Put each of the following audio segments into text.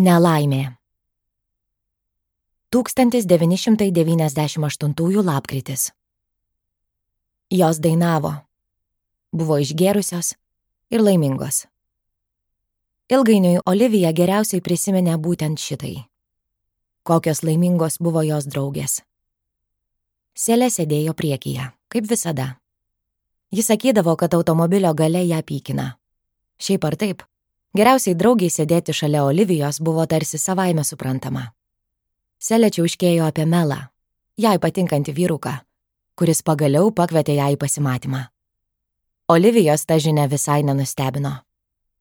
Nelaimė. 1998 lapkritis. Jos dainavo. Buvo išgėrusios ir laimingos. Ilgainiui Olivija geriausiai prisiminė būtent šitai. Kokios laimingos buvo jos draugės. Selė sėdėjo priekyje, kaip visada. Jis sakydavo, kad automobilio gale ją pykina. Šiaip ar taip, geriausiai draugiai sėdėti šalia Olivijos buvo tarsi savaime suprantama. Selė čiauškėjo apie Melą, jai patinkantį vyruką, kuris pagaliau pakvietė ją į pasimatymą. Olivijos ta žinia visai nenustebino.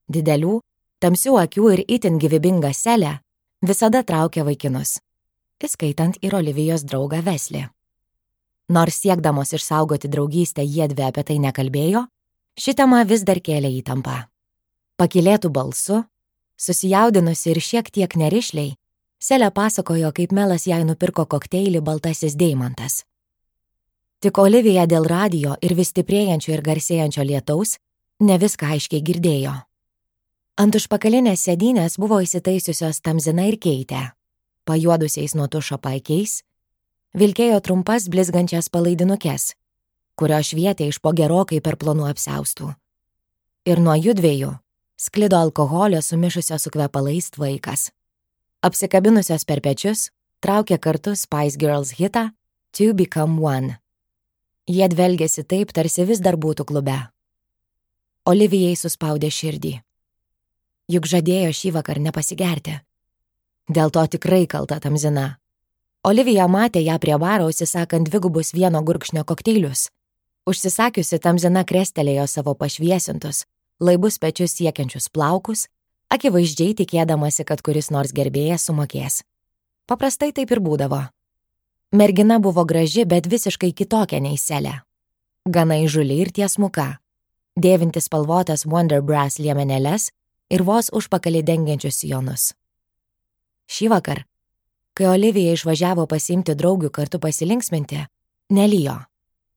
Didelių, tamsių akių ir itin gyvybinga Selė visada traukė vaikinus, įskaitant ir Olivijos draugą Veslį. Nors siekdamos išsaugoti draugystę jiedvi apie tai nekalbėjo, ši tema vis dar kėlė įtampą. Pakylėtų balsu, susijaudinusi ir šiek tiek nerišliai, Selė pasakojo, kaip Melas jai nupirko kokteilį Baltasis deimantas. Tik Olivija dėl radijo ir vis stiprėjančio ir garsėjančio lietaus ne viską aiškiai girdėjo. Ant užpakalinės sėdynės buvo įsitaisiusios Tamzina ir Keitė, pajuodusiais nuo tušo paikiais, vilkėjo trumpas blizgančias palaidinukes, kurio švietė iš po gerokai per plonų apsiaustų. Ir nuo judviejų sklido alkoholio sumišusio su kvepalais tvaikas. Apsikabinusios per pečius, traukė kartu Spice Girls hitą To Become One. Jie dvelgėsi taip, tarsi vis dar būtų klube. Olivijai suspaudė širdį. Juk žadėjo šįvakar nepasigerti. Dėl to tikrai kalta Tamzina. Olivija matė ją prie baro užsisakant dvigubus vieno gurkšnio kokteilius. Užsisakiusi Tamzina krestelėjo savo pašviesintus, laibus pečius siekiančius plaukus, akivaizdžiai tikėdamasi, kad kuris nors gerbėjas sumokės. Paprastai taip ir būdavo. Mergina buvo graži, bet visiškai kitokia nei Selė. Gana įžuli ir tiesmuka, dėvinti spalvotas Wonder Brass liemenėles ir vos užpakalį dengiančius sijonus. Šįvakar, kai Olivija išvažiavo pasiimti draugių kartu pasilinksminti, nelijo.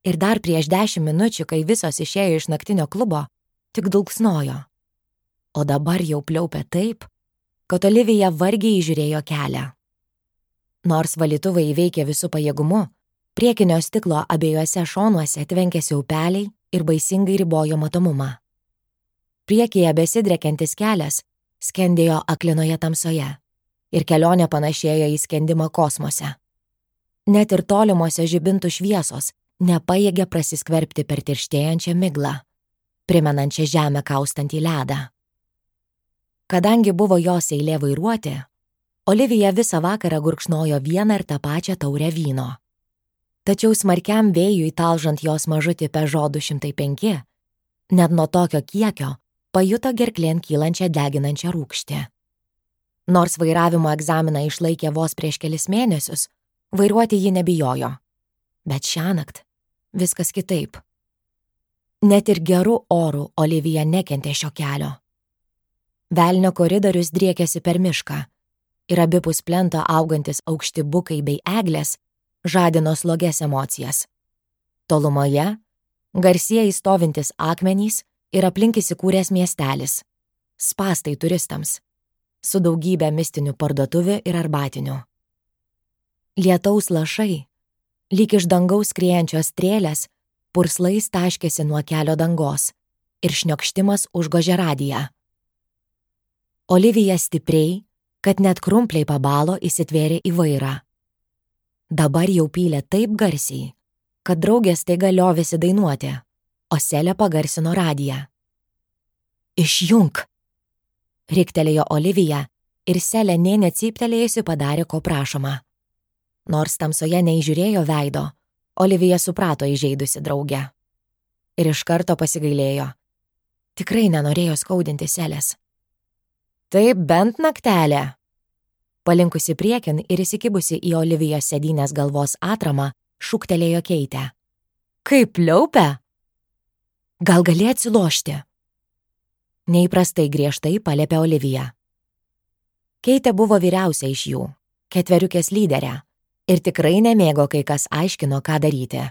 Ir dar prieš 10 minučių, kai visos išėjo iš naktinio klubo, tik dulksnojo. O dabar jau pliaupė taip, kad Olivija vargiai įžiūrėjo kelią. Nors valytuvai įveikė visų pajėgumu, priekinio stiklo abiejuose šonuose tvenkėsi upeliai ir baisingai ribojo matomumą. Priekyje besidrekiantis kelias skendėjo aklinoje tamsoje ir kelionė panašėjo į skendimą kosmose. Net ir tolimose žibintų šviesos nepajėgė prasiskverbti per tirštėjančią miglą, primenančią žemę kaustantį ledą. Kadangi buvo jos eilė vairuoti, Olivija visą vakarą gurkšnojo vieną ir tą pačią taurę vyno. Tačiau smarkiam vėjui talžant jos mažutį Peugeot 205, net nuo tokio kiekio pajuto gerklėn kylančią deginančią rūgštį. Nors vairavimo egzaminą išlaikė vos prieš kelis mėnesius, vairuoti ji nebijojo. Bet šiąnakt viskas kitaip. Net ir gerų orų Olivija nekentė šio kelio. Velnio koridorius driekėsi per mišką ir abipus plento augantis aukšti bukai bei eglės žadino slogias emocijas. Tolumoje garsieji stovintis akmenys ir aplink įsikūręs miestelis, spastai turistams, su daugybė mistinių parduotuvių ir arbatinių. Lietaus lašai, lyg iš dangaus skriejančios strėlės, purslais taškėsi nuo kelio dangos ir šniokštimas užgožė radiją. Olivija stipriai, kad net krumpliai pabalo, įsitvėrė į vairą. Dabar jau pylė taip garsiai, kad draugės staiga liovėsi dainuoti, o Selė pagarsino radiją. Išjunk! Riktelėjo Olivija ir Selė nė necyptelėjusi padarė, ko prašoma. Nors tamsoje neįžiūrėjo veido, Olivija suprato įžeidusi draugę. Ir iš karto pasigailėjo. Tikrai nenorėjo skaudinti Selės. Taip bent naktelė. Palinkusi priekin ir įsikibusi į Olivijos sėdynės galvos atramą, šūktelėjo Keitė. Kaip pliaupia? Gal gali atsilošti? Neįprastai griežtai paliepė Olivija. Keitė buvo vyriausia iš jų, ketveriukės lyderė, ir tikrai nemėgo, kai kas aiškino, ką daryti.